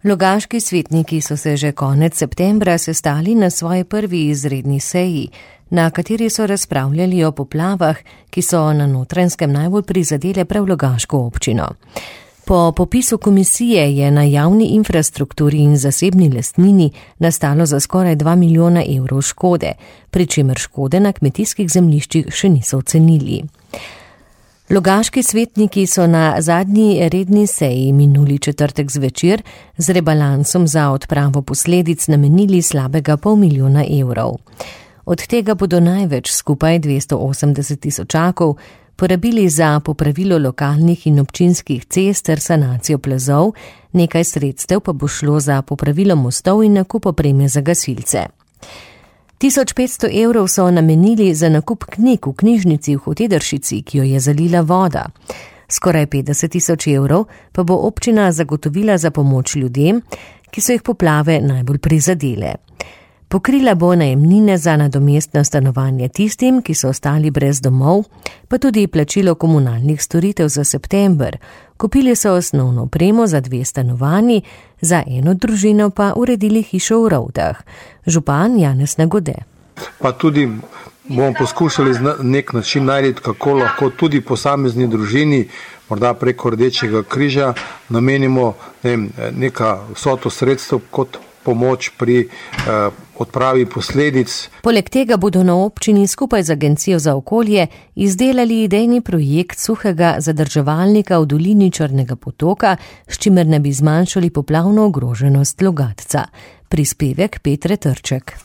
Logaški svetniki so se že konec septembra sestali na svoji prvi izredni seji, na kateri so razpravljali o poplavah, ki so na Notranjskem najbolj prizadele prav Logaško občino. Po popisu komisije je na javni infrastrukturi in zasebni lastnini nastalo za skoraj 2 milijona evrov škode, pri čemer škode na kmetijskih zemljiščih še niso ocenili. Logaški svetniki so na zadnji redni seji minuli četrtek zvečer z rebalansom za odpravo posledic namenili slabega 500 milijona evrov. Od tega bodo največ, skupaj 280 tisočakov, porabili za popravilo lokalnih in občinskih cest ter sanacijo plazov, nekaj sredstev pa bo šlo za popravilo mostov in nakup opreme za gasilce. 1500 evrov so namenili za nakup knjig v knjižnici v Hotedršici, ki jo je zalila voda. Skoraj 50 tisoč evrov pa bo občina zagotovila za pomoč ljudem, ki so jih poplave najbolj prizadele. Pokrila bo najemnine za nadomestno stanovanje tistim, ki so ostali brez domov, pa tudi plačilo komunalnih storitev za september. Kupili so osnovno opremo za 2 stanovanji, za eno družino pa uredili hišo v Rovdah. Župan Janez Nagode. Pa tudi bomo poskušali na nek način najti, kako lahko tudi posamezni družini, morda preko Rdečega križa, namenimo neka vsoto sredstev kot pomoč pri odpravi posledic. Poleg tega bodo na občini skupaj z Agencijo za okolje izdelali idejni projekt suhega zadrževalnika v dolini Črnega potoka, s čimer ne bi zmanjšali poplavno ogroženost Logatca. Prispevek Petre Trček.